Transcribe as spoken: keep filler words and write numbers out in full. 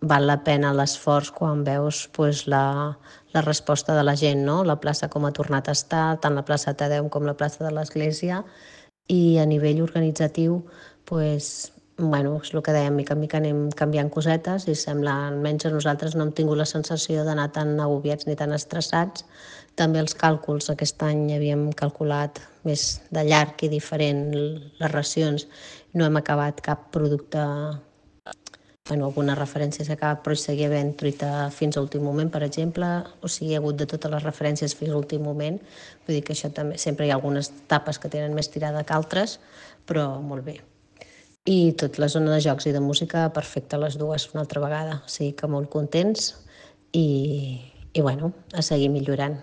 val la pena l'esforç quan veus pues, la, la resposta de la gent, no? La plaça com ha tornat a estar, tant la plaça Tadeu com la plaça de l'Església, i a nivell organitzatiu, pues, bueno, és el que dèiem, mica en mica anem canviant cosetes i sembla, almenys a nosaltres no hem tingut la sensació d'anar tan agobiats ni tan estressats. També els càlculs, aquest any havíem calculat més de llarg i diferent les racions, no hem acabat cap producte, bueno, algunes referències que acaba, però hi seguia havent truita fins a l'últim moment, per exemple, o sigui, hi ha hagut de totes les referències fins a l'últim moment, vull dir que això també, sempre hi ha algunes tapes que tenen més tirada que altres, però molt bé. I tot la zona de jocs i de música, perfecte les dues una altra vegada, o sigui que molt contents i, i bueno, a seguir millorant.